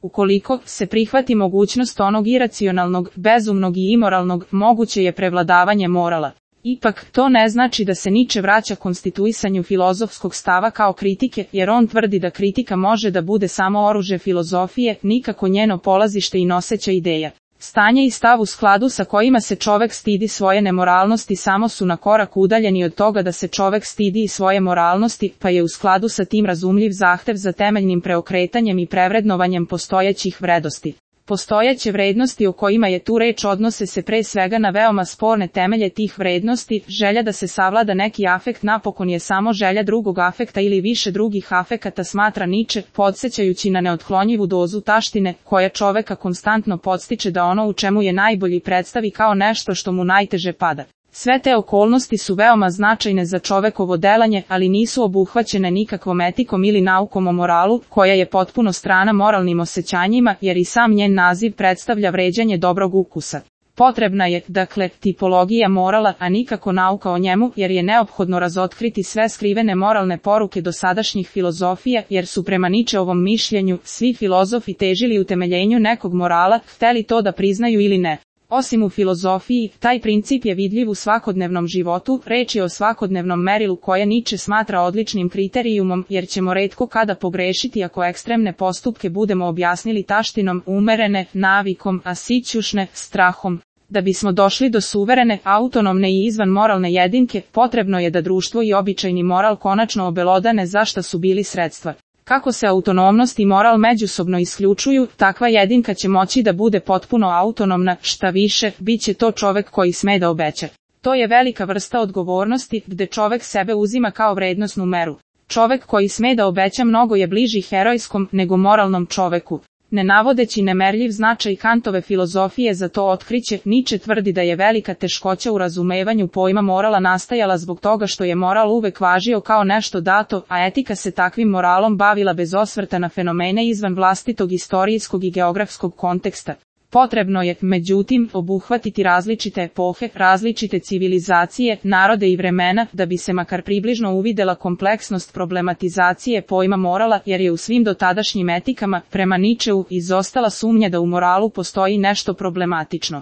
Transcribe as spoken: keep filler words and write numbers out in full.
Ukoliko se prihvati mogućnost onog iracionalnog, bezumnog i imoralnog, moguće je prevladavanje morala. Ipak, to ne znači da se Niče vraća konstituisanju filozofskog stava kao kritike, jer on tvrdi da kritika može da bude samo oružje filozofije, nikako njeno polazište i noseća ideja. Stanje i stav u skladu sa kojima se čovek stidi svoje nemoralnosti samo su na korak udaljeni od toga da se čovek stidi i svoje moralnosti, pa je u skladu sa tim razumljiv zahtev za temeljnim preokretanjem i prevrednovanjem postojećih vrednosti. Postojeće vrednosti o kojima je tu reč odnose se pre svega na veoma sporne temelje tih vrednosti, želja da se savlada neki afekt napokon je samo želja drugog afekta ili više drugih afekata, smatra Niče, podsećajući na neotklonjivu dozu taštine, koja čoveka konstantno podstiče da ono u čemu je najbolji predstavi kao nešto što mu najteže pada. Sve te okolnosti su veoma značajne za čovekovo delanje, ali nisu obuhvaćene nikakvom etikom ili naukom o moralu, koja je potpuno strana moralnim osjećanjima, jer i sam njen naziv predstavlja vređanje dobrog ukusa. Potrebna je, dakle, tipologija morala, a nikako nauka o njemu, jer je neophodno razotkriti sve skrivene moralne poruke dosadašnjih filozofija, jer su prema Ničeovom mišljenju svi filozofi težili utemeljenju nekog morala, hteli to da priznaju ili ne. Osim u filozofiji, taj princip je vidljiv u svakodnevnom životu, reč je o svakodnevnom merilu koje Niče smatra odličnim kriterijumom, jer ćemo retko kada pogrešiti ako ekstremne postupke budemo objasnili taštinom, umerene, navikom, a sićušne, strahom. Da bismo došli do suverene, autonomne i izvan moralne jedinke, potrebno je da društvo i običajni moral konačno obelodane za šta su bili sredstva. Kako se autonomnost i moral međusobno isključuju, takva jedinka će moći da bude potpuno autonomna, šta više, bit će to čovek koji sme da obeća. To je velika vrsta odgovornosti, gde čovek sebe uzima kao vrednosnu meru. Čovek koji sme da obeća mnogo je bliži herojskom nego moralnom čoveku. Ne navodeći nemerljiv značaj Kantove filozofije za to otkriće, Niče tvrdi da je velika teškoća u razumevanju pojma morala nastajala zbog toga što je moral uvek važio kao nešto dato, a etika se takvim moralom bavila bez osvrta na fenomene izvan vlastitog istorijskog i geografskog konteksta. Potrebno je, međutim, obuhvatiti različite epohe, različite civilizacije, narode i vremena, da bi se makar približno uvidela kompleksnost problematizacije pojma morala, jer je u svim dotadašnjim etikama, prema Ničeu, izostala sumnja da u moralu postoji nešto problematično.